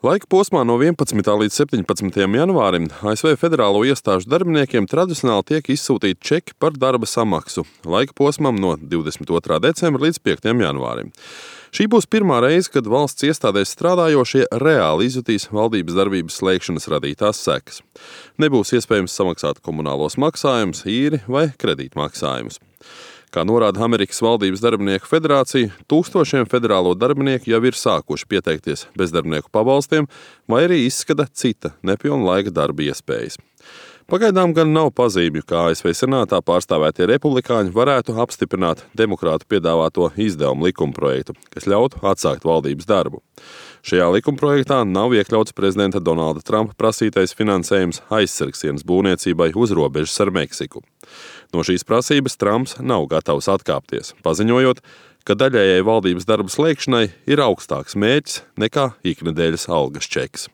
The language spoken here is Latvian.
Laika posmā no 11. līdz 17. janvārim ASV federālo iestāžu darbiniekiem tradicionāli tiek izsūtīti čeki par darba samaksu laika posmam no 22. decembra līdz 5. janvārim. Šī būs pirmā reize, kad valsts iestādēs strādājošie reāli izjutīs valdības darbības slēgšanas radītās sekas. Nebūs iespējams samaksāt komunālos maksājumus, īri vai kredītmaksājumus. Kā norāda Amerikas valdības darbinieku federācija, tūkstošiem federālo darbinieku jau ir sākuši pieteikties bezdarbnieku pabalstiem vai arī izskata cita nepilna laika darba iespējas. Pagaidām gan nav pazīmju, kā ASV senātā pārstāvētie republikāņi varētu apstiprināt demokrātu piedāvāto izdevumu likumprojektu, kas ļautu atsākt valdības darbu. Šajā likumprojektā nav iekļauts prezidenta Donalda Trumpa prasītais finansējums aizsargsienas būvniecībai uz robežas ar Meksiku. No šīs prasības Trumps nav gatavs atkāpties, paziņojot, ka daļējai valdības darba slēgšanai ir augstāks mērķis nekā iknedēļas algas čeks.